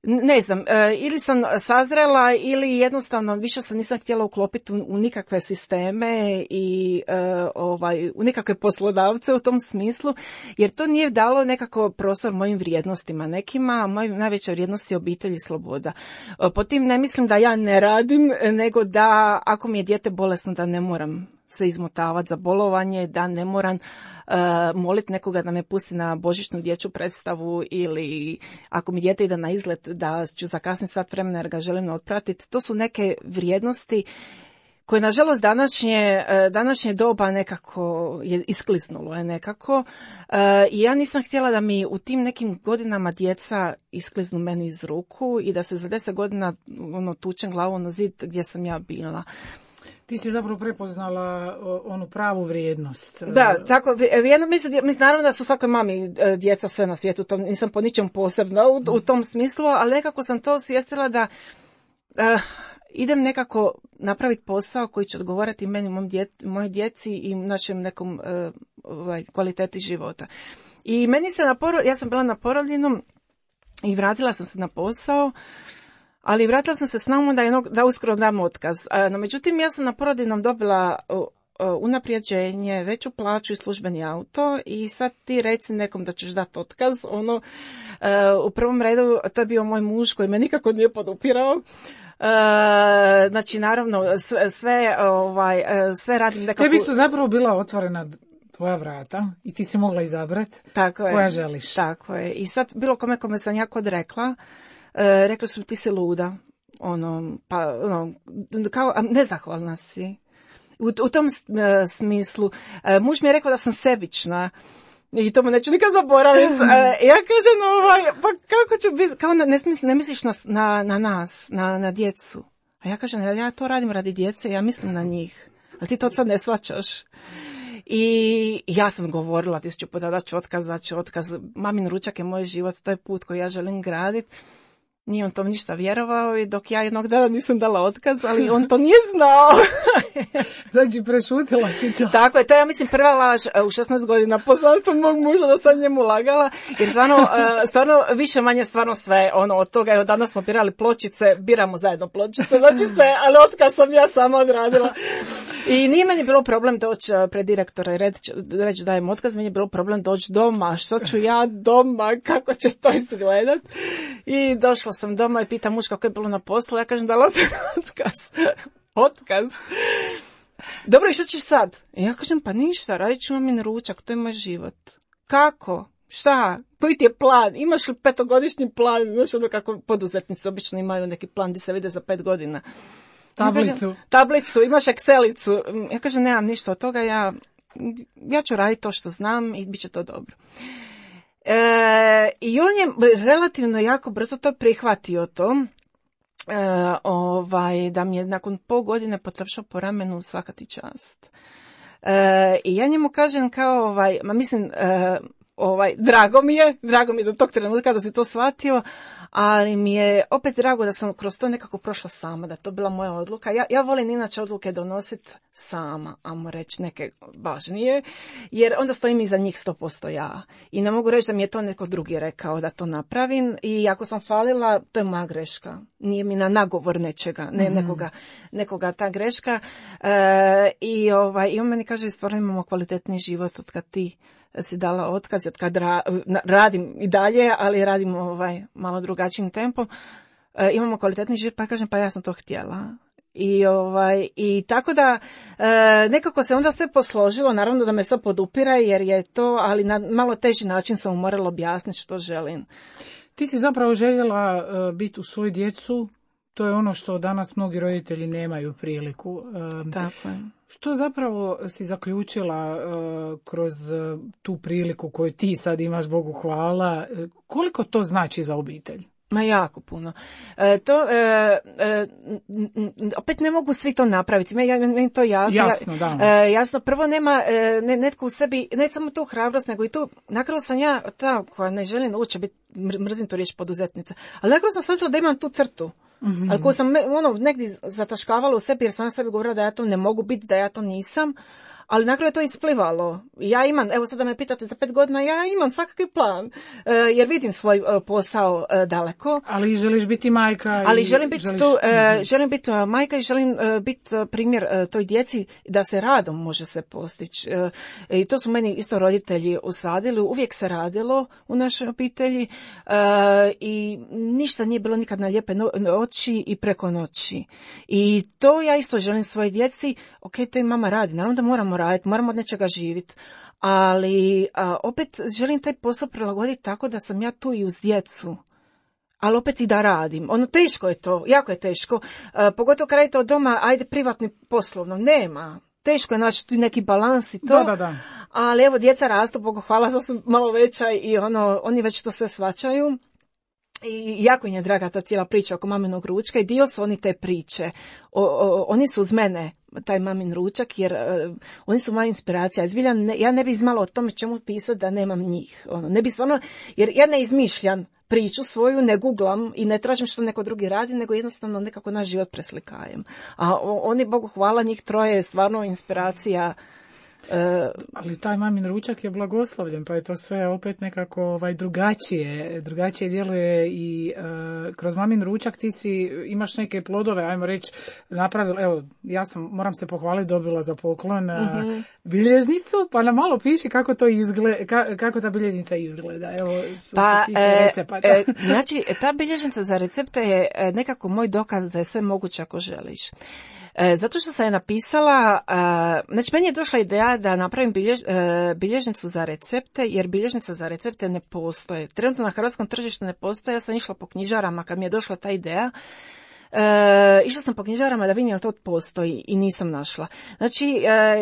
ne znam, ili sam sazrela ili jednostavno više se nisam htjela uklopiti u nikakve sisteme i u nikakve poslodavce u tom smislu, jer to nije dalo nekako prostor mojim vrijednostima nekima, moj najveća vrijednost je obitelj i sloboda. Po tim ne mislim da ja ne radim, nego da ako mi je dijete bolesno da ne moram se izmotavati za bolovanje, da ne moram moliti nekoga da me pusti na božićnu dječju predstavu ili ako mi dijete ide na izlet da ću zakasniti sat vremena jer ga želim otpratiti. To su neke vrijednosti koje nažalost današnje doba nekako je iskliznulo je nekako i ja nisam htjela da mi u tim nekim godinama djeca iskliznu meni iz ruku i da se za 10 godina tučem glavu na zid gdje sam ja bila. Ti si zapravo prepoznala onu pravu vrijednost. Da, tako, mislim, naravno da su svakoj mami djeca sve na svijetu, to nisam po ničem posebno u tom smislu, ali nekako sam to osvijestila da idem nekako napraviti posao koji će odgovarati meni, mojoj djeci i našem nekom kvaliteti života. I meni se ja sam bila na porodiljnom i vratila sam se na posao, ali vratila sam se s namom da uskoro dam otkaz. No, međutim, ja sam na porodiljnom dobila unaprijeđenje, veću plaću i službeni auto i sad ti reci nekom da ćeš dati otkaz. U prvom redu to je bio moj muž koji me nikako nije podupirao. Znači, naravno, sve radim nekako. Tebi su zapravo bila otvorena tvoja vrata i ti si mogla izabrati koja želiš. Tako je. I sad bilo kome sam jako odrekla. Rekli su ti si luda, kao nezahvalna si. U tom smislu, muž mi je rekao da sam sebična i to mu neću nikad zaboraviti. Ja kažem, pa kako ću biti, kao ne misliš na nas, na djecu. A ja kažem, ja to radim radi djece, ja mislim na njih, a ti to sad ne shvaćaš. I ja sam govorila 1000 puta da ću otkaz, mamin ručak je moj život, to je put koji ja želim graditi. Nije on tom ništa vjerovao i dok ja jednog dana nisam dala otkaz, ali on to nije znao. Znači, prešutila si to. Tako je, to je, ja mislim, prva laž u 16 godina poznanstva mog muža da sam njemu lagala, jer stvarno više manje stvarno sve od toga. Evo, danas smo birali pločice, biramo zajedno pločice, znači sve, ali otkaz sam ja sama odradila. I nije meni bilo problem doći pred direktora i reći dajem otkaz, meni je bilo problem doći doma, što ću ja doma, kako će to izgledat. I došla sam doma i pitam muž kako je bilo na poslu, ja kažem dala sam otkaz. Dobro, i što ćeš sad? I ja kažem, pa ništa, radit ću mamin ručak, to je moj život. Kako? Šta? Koji ti je plan? Imaš li 5-godišnji plan? Znaš ono kako poduzetnici obično imaju neki plan gdje se vide za 5 godina. Tablicu, imaš Excelicu. Ja kažem, nemam ništa od toga, ja ću raditi to što znam i bit će to dobro. I on je relativno jako brzo to prihvatio to. Da mi je nakon pol godine potapšao po ramenu svaka ti čast. I ja njemu kažem kao, drago mi je do tog trenutka da si to shvatio, ali mi je opet drago da sam kroz to nekako prošla sama, da to bila moja odluka. Ja volim inače odluke donositi sama, ajmo reći neke važnije, jer onda stojim iza njih 100% ja. I ne mogu reći da mi je to neko drugi rekao da to napravim i ako sam falila, to je moja greška. Nije mi na nagovor nečega, ne nekoga ta greška. I on meni kaže, stvarno imamo kvalitetni život od kad ti si dala otkaz, od kad radim i dalje, ali radim malo drugačijim tempom. Imamo kvalitetni život, pa kažem, pa ja sam to htjela. I tako da nekako se onda sve posložilo, naravno da me sve podupira jer je to, ali na malo teži način sam morala objasniti što želim. Ti si zapravo željela biti u svoju djecu, to je ono što danas mnogi roditelji nemaju priliku. Tako je. Što zapravo si zaključila kroz tu priliku koju ti sad imaš, Bogu hvala, koliko to znači za obitelj? Ma jako puno. Opet ne mogu svi to napraviti. Meni to jasno. Jasno, da. Jasno, prvo nema netko u sebi, ne samo tu hrabrost, nego i tu, nakon sam ja ta koja ne želim uopće biti, mrzim to riječ poduzetnica, ali nakon sam shvatila da imam tu crtu. Mm-hmm. Ali koju sam negdje zataškavala u sebi jer sam sebi govorila da ja to ne mogu biti, da ja to nisam. Ali nakon je to isplivalo. Ja imam, evo sad da me pitate za 5 godina, ja imam svakakvi plan, jer vidim svoj posao daleko. Ali želiš biti majka. Ali želim biti želim biti majka i želim biti primjer toj djeci da se radom može se postići. I to su meni isto roditelji usadili, uvijek se radilo u našoj obitelji i ništa nije bilo nikad na lijepe oči i preko noći. I to ja isto želim svojoj djeci, ok, to i mama radi, naravno da moramo raditi, moramo od nečega živjeti, ali opet želim taj posao prilagoditi tako da sam ja tu i uz djecu, ali opet i da radim. Teško je to, jako je teško, pogotovo kad radite od doma, ajde privatni poslovno, nema. Teško je naći tu neki balans i to, da. Ali evo djeca rastu, Bogu hvala, sad sam malo veća i oni već to sve shvaćaju. I jako im je draga ta cijela priča oko maminog ručka i dio su oni te priče. Oni su uz mene, taj mamin ručak, jer oni su moja inspiracija. Ja ne bi znala o tome čemu pisati da nemam njih. Ne bi stvarno, jer ja ne izmišljam priču svoju, ne googlam i ne tražim što neko drugi radi, nego jednostavno nekako naš život preslikajem. A oni, Bogu hvala, njih troje je stvarno inspiracija. Ali taj mamin ručak je blagoslovljen, pa je to sve opet nekako drugačije djeluje i kroz mamin ručak ti imaš neke plodove, ajmo reći, napravila, evo, moram se pohvaliti, dobila za poklon bilježnicu, pa nam malo piši kako to izgleda, kako ta bilježnica izgleda, evo, što se tiče recepata. Znači, ta bilježnica za recepte je nekako moj dokaz da je sve moguće ako želiš. Zato što sam je napisala, znači meni je došla ideja da napravim bilježnicu za recepte, jer bilježnica za recepte ne postoje. Trenutno na hrvatskom tržištu ne postoje, ja sam išla po knjižarama kad mi je došla ta ideja. Išla sam po knjižarama da vidim jel to postoji i nisam našla. Znači,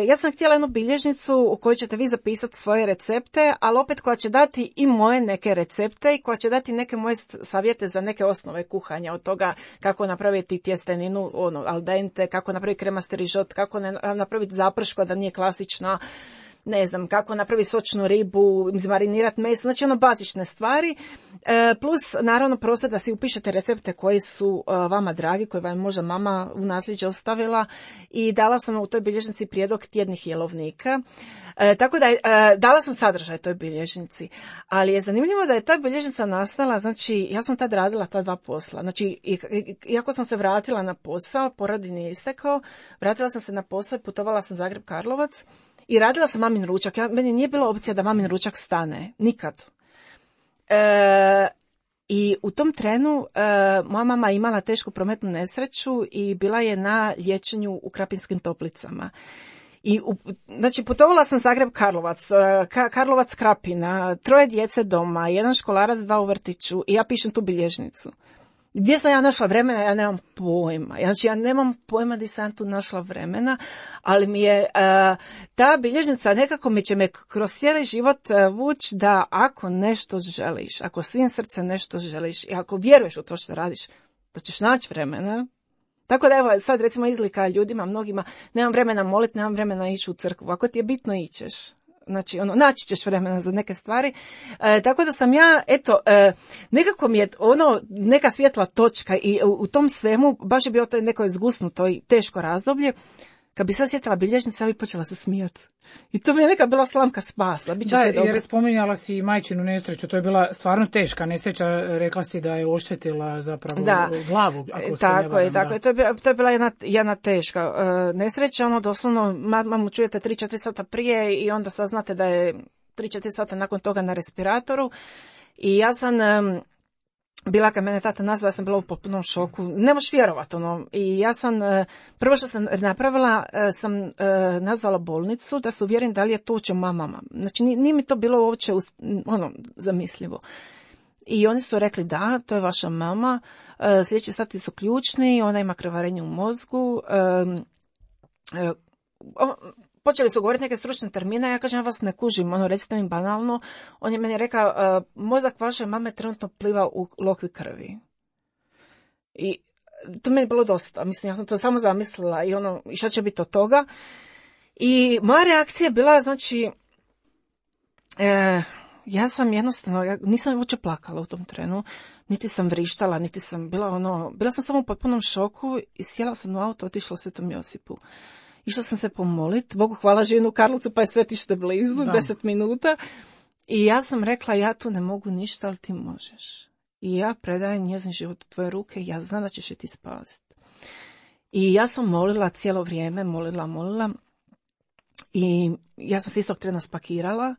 ja sam htjela jednu bilježnicu u kojoj ćete vi zapisati svoje recepte, ali opet koja će dati i moje neke recepte i koja će dati neke moje savjete za neke osnove kuhanja, od toga kako napraviti tjesteninu al dente, kako napraviti kremasti rižot, kako napraviti zaprško da nije klasična. ne znam, kako napravi sočnu ribu, izmarinirati meso, znači ono bazične stvari, plus naravno prostor da si upišete recepte koji su vama dragi, koje vam možda mama u nasljeđe ostavila i dala sam u toj bilježnici prijedlog tjednih jelovnika. Tako da dala sam sadržaj toj bilježnici, ali je zanimljivo da je ta bilježnica nastala, znači ja sam tad radila ta 2 posla, znači iako sam se vratila na posao, porodiljni je istekao, vratila sam se na posao i putovala sam Zagreb-Karlovac i radila sam mamin ručak. Meni nije bila opcija da mamin ručak stane, nikad. I u tom trenu moja mama imala tešku prometnu nesreću i bila je na liječenju u Krapinskim Toplicama. I znači putovala sam Zagreb-Karlovac, Karlovac-Krapina, 3 djece doma, 1 školarac, 2 u vrtiću i ja pišem tu bilježnicu. Gdje sam ja našla vremena, ja nemam pojma. Znači ja nemam pojma gdje sam tu našla vremena, ali mi je ta bilježnica nekako će me kroz cijeli život vući da ako nešto želiš, ako svim srcem nešto želiš i ako vjeruješ u to što radiš, da ćeš naći vremena. Tako da evo sad recimo izlika ljudima, mnogima, nemam vremena moliti, nemam vremena ići u crkvu. Ako ti je bitno ićeš. Znači, naći ćeš vremena za neke stvari. Tako da sam ja, nekako mi je neka svjetla točka i u tom svemu baš je bio to neko zgusnuto i teško razdoblje. Kad bi sad sjetila bilježnica, ja bi počela se smijati. I to mi je neka bila slamka spasa. Da, jer spominjala si majčinu nesreću, to je bila stvarno teška nesreća, rekla si da je oštetila zapravo glavu. Ako tako je. To je bila jedna teška nesreća, doslovno mamu čujete 3-4 sata prije i onda saznate da je 3-4 sata nakon toga na respiratoru. I ja sam bila, kad mene tata nazvala, ja sam bila u potpunom šoku. Ne možeš vjerovati, I ja sam, prvo što sam napravila, sam nazvala bolnicu da se uvjerim da li je to uopće mama. Znači, nije mi to bilo uopće, zamislivo. I oni su rekli da, to je vaša mama, sljedeći sati su ključni, ona ima krvarenje u mozgu, počeli su govoriti neke stručne termine, ja kažem, ja vas ne kužim, recite mi banalno. On je meni rekao, mozak vaše mame trenutno pliva u lokvi krvi. I to meni je bilo dosta, mislim, ja sam to samo zamislila i šta će biti od toga. I moja reakcija je bila, znači, ja sam jednostavno, nisam uopće plakala u tom trenu, niti sam vrištala, niti sam bila sam samo u potpunom šoku i sjela sam u auto, otišla Svetom Josipu. Išla sam se pomoliti, Bogu hvala, živim u Karlovcu, pa je svetište blizu, 10 minuta. I ja sam rekla, ja tu ne mogu ništa, ali ti možeš. I ja predajem njezin život u tvoje ruke i ja znam da ćeš je ti spasiti. I ja sam molila cijelo vrijeme, molila. I ja sam se istog trena spakirala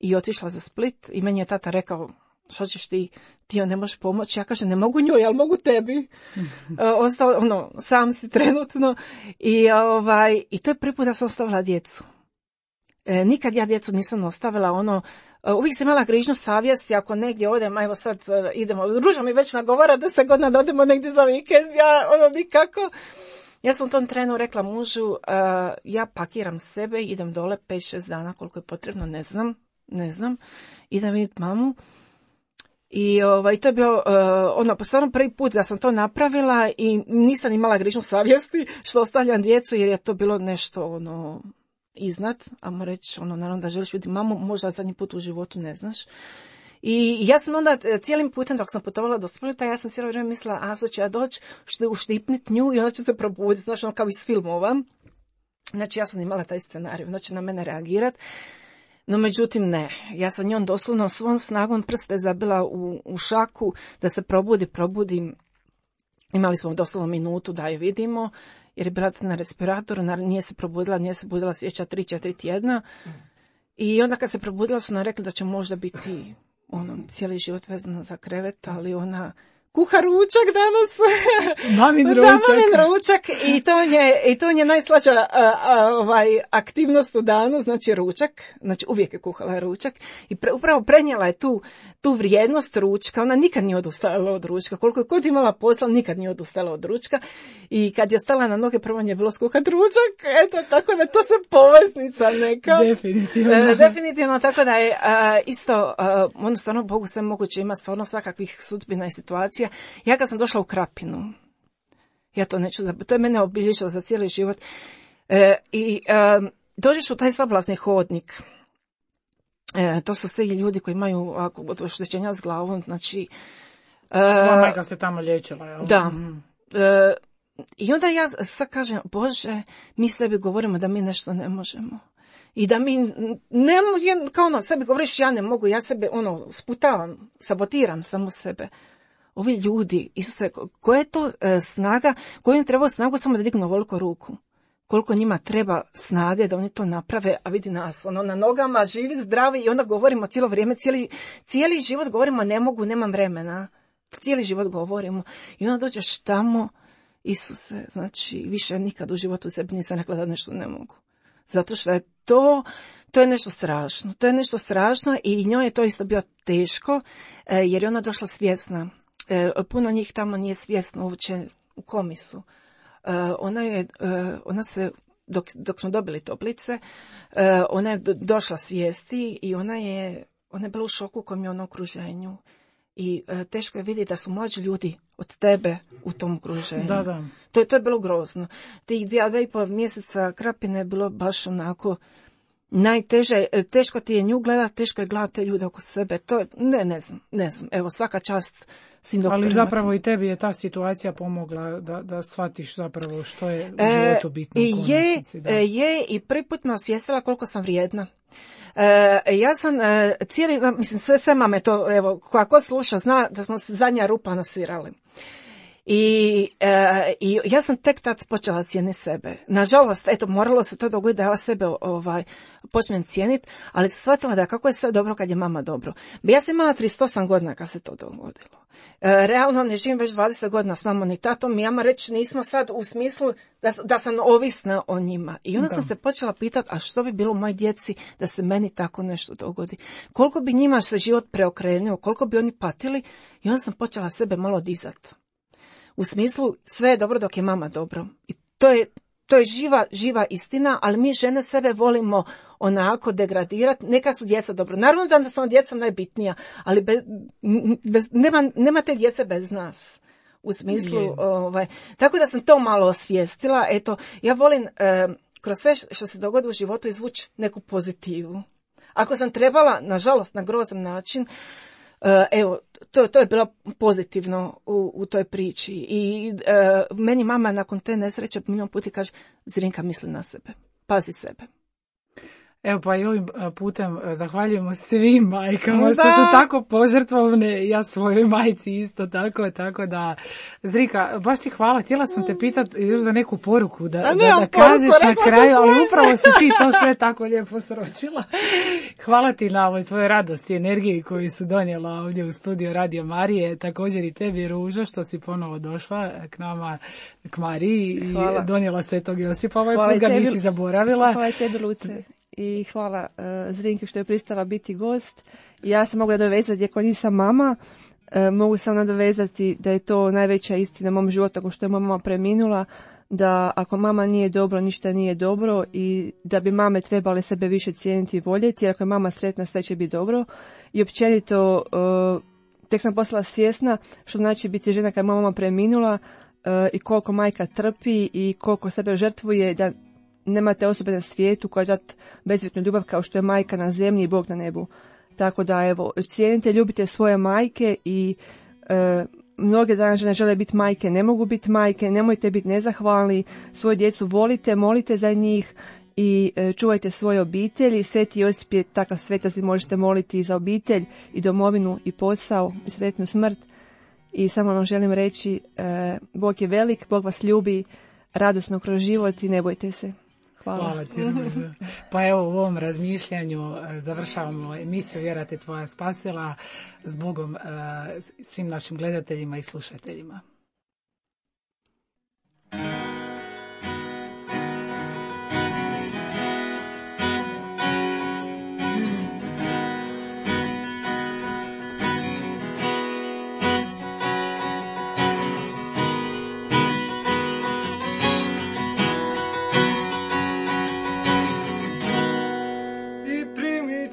i otišla za Split i meni je tata rekao, što ćeš ti joj ne možeš pomoći. Ja kažem, ne mogu njoj, ali mogu tebi. Ostao, sam si trenutno. I to je prvi put da sam ostavila djecu. Nikad ja djecu nisam ostavila, uvijek sam imala grižnju savjesti, ako negdje odem, evo sad idemo, Ruža mi već nagovara 10 godina da odemo negdje za vikend, ja nikako. Ja sam u tom trenu rekla mužu, ja pakiram sebe, idem dole 5-6 dana koliko je potrebno, ne znam, idem vidjeti mamu. I to je bio stvarno prvi put da sam to napravila i nisam imala grižnju savjesti što ostavljam djecu jer je to bilo nešto iznad, ajmo reći, naravno da želiš vidjeti mamu, možda zadnji put u životu ne znaš. I ja sam onda cijelim putem dok sam putovala do Splita, ja sam cijelo vrijeme mislila, sad ću ja doći, uštipnit nju i onda će se probuditi, znači kao iz filmova. Znači ja sam imala taj scenarij, znači na mene reagirati. No međutim ne, ja sam njom doslovno svom snagom prste zabila u šaku da se probudi. Imali smo doslovno minutu da je vidimo, jer je bila na respiratoru, nije se budila sljedeća 3-4 tjedna. I onda kad se probudila su nam rekli da će možda biti cijeli život vezano za krevet, ali ona kuha ručak danas. Mamin ručak. I to je najslađa aktivnost u danu, znači ručak. Znači uvijek je kuhala ručak. I upravo prenijela je tu vrijednost ručka. Ona nikad nije odustajala od ručka. Koliko je god imala posla, nikad nije odustajala od ručka. I kad je stala na noge, prvo je bilo skuhat ručak. Eto, tako da to se poveznica neka. Definitivno, tako da je isto, stvarno Bogu sve moguće, ima stvarno svakakvih sudbina i situacija. Ja kad sam došla u Krapinu, ja to neću, to je mene obilježilo za cijeli život. dođeš u taj sablazni hodnik. To su svi ljudi koji imaju oštećenja s glavom, znači... Moja majka se tamo liječila, jel? Da. I onda ja sad kažem, Bože, mi sebi govorimo da mi nešto ne možemo. I da mi kao sebi govoriš ja ne mogu, ja sebe sputavam, sabotiram samo sebe. Ovi ljudi, Isuse, koja je to snaga, koju im treba snagu samo da dignu ovoliko ruku? Koliko njima treba snage da oni to naprave, a vidi nas, na nogama, živi, zdravi i onda govorimo cijelo vrijeme, cijeli život govorimo ne mogu, nemam vremena. Cijeli život govorimo. I onda dođeš tamo, Isuse, znači više nikad u životu sebi nisam rekla da nešto ne mogu. Zato što je to je nešto strašno. To je nešto strašno i njoj je to isto bilo teško, jer je ona došla svjesna. Puno njih tamo nije svjesno uopće u komisu. Ona se, dok smo dobili toplice, ona je došla svijesti i ona je bila u šoku kojem je ono okruženju. I teško je vidjeti da su mlađi ljudi od tebe u tom okruženju. Da. To je bilo grozno. Tih 2,5 mjeseca Krapine je bilo baš onako najteže. Teško ti je nju gledati, teško je gledati te ljude oko sebe. To ne znam. Evo, svaka čast svim doktorima. Ali zapravo i tebi je ta situacija pomogla da shvatiš zapravo što je u životu bitno. I prvi put me osvijestila koliko sam vrijedna. Ja sam sve mame to, evo, koja ko sluša zna da smo se zadnja rupa nasvirali. I ja sam tek tad počela cijeniti sebe. Nažalost, moralo se to dogoditi da ja sebe počnem cijeniti, ali sam shvatila da kako je sve dobro kad je mama dobro. Ja sam imala 38 godina kad se to dogodilo. Realno ne živim već 20 godina s mamom ni tatom, mi reći nismo sad u smislu da sam ovisna o njima. I onda sam se počela pitati, a što bi bilo u mojoj djeci da se meni tako nešto dogodi? Koliko bi njima se život preokrenuo, koliko bi oni patili? I onda sam počela sebe malo dizati. U smislu, sve je dobro dok je mama dobro. I to je živa istina, ali mi žene sebe volimo onako degradirati. Neka su djeca dobro. Naravno da su djeca najbitnija, ali nema te djece bez nas. U smislu, tako da sam to malo osvijestila. Ja volim kroz sve što se dogodi u životu izvući neku pozitivu. Ako sam trebala, nažalost, na grozan način, to je bilo pozitivno u toj priči. I meni mama nakon te nesreće milion puta kaže, Zrinka, misli na sebe, pazi sebe. Evo pa i ovim putem zahvaljujemo svim majkama što su tako požrtvovne, ja svojoj majci isto tako da, Zrika, baš ti hvala, htjela sam te pitati još za neku poruku da kažeš na kraju, ali upravo si ti to sve tako lijepo sročila. Hvala ti na ovoj tvojoj radosti i energiji koju su donijela ovdje u studiju Radio Marije, također i tebi Ružo što si ponovo došla k nama, k Mariji i donijela Svetog Josipa ovaj put, ga nisi zaboravila. Hvala tebi, Luce. I hvala Zrinki što je pristala biti gost. Ja se mogu nadovezati, iako nisam mama, mogu sam nadovezati da je to najveća istina u mom životu, ako što je mama preminula, da ako mama nije dobro, ništa nije dobro i da bi mame trebale sebe više cijeniti i voljeti, jer ako je mama sretna, sve će biti dobro. I općenito, tek sam postala svjesna što znači biti žena kad je mama preminula i koliko majka trpi i koliko sebe žrtvuje, da nemate osobe na svijetu koja dat bezvjetnu ljubav kao što je majka na zemlji i Bog na nebu. Tako da, evo, cijenite, ljubite svoje majke i mnoge danas žene žele biti majke, ne mogu biti majke, nemojte biti nezahvalni, svoju djecu volite, molite za njih i čuvajte svoje obitelji. Sveti Josip je takav svetac, možete moliti i za obitelj i domovinu i posao i sretnu smrt. I samo vam želim reći, Bog je velik, Bog vas ljubi, radosno kroz život i ne bojte se. Hvala ti. Pa evo u ovom razmišljanju završavamo emisiju Vjera te tvoja spasila. S Bogom svim našim gledateljima i slušateljima.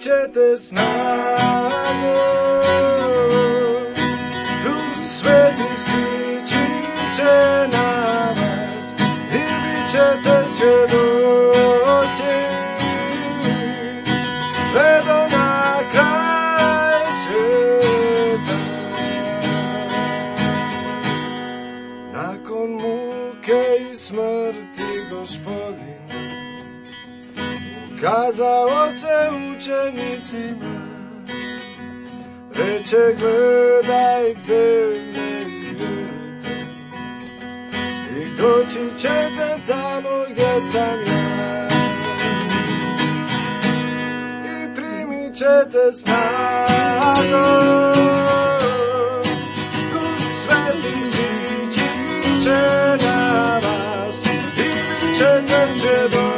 Ćete snagu, Duh Sveti sići će na vas i bit ćete svjedoci kazao se učenicima, reče gledajte me i vjerujte, i doći ćete tamo gdje sam ja, i primit ćete snagu, Duh Sveti sići će na vas, i bit ćete svjedoci.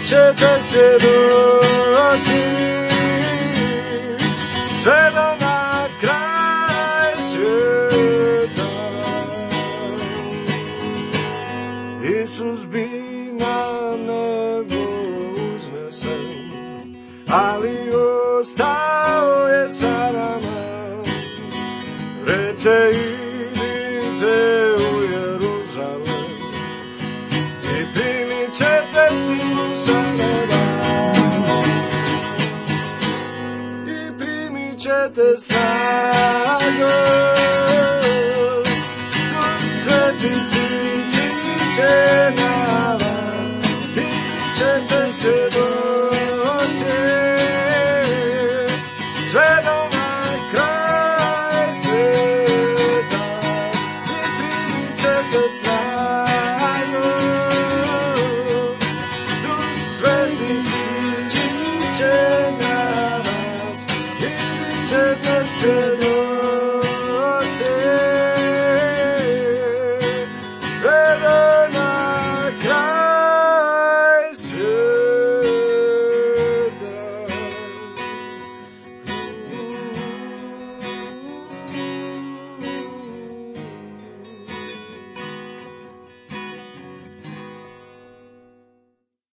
Ćete svjedoci sve do na kraj svijeta. Isus bi na nebo uznesen, ali ostao je sa nama. Reče idite u Jeruzalem i primit ćete silu sa neba, i primit ćete snagu, Duh Sveti sići će na vas, i bit ćete svjedoci sve do na kraj svijeta, i primit ćete snagu, Duh Sveti sići će na vas, i bit ćete svjedoci.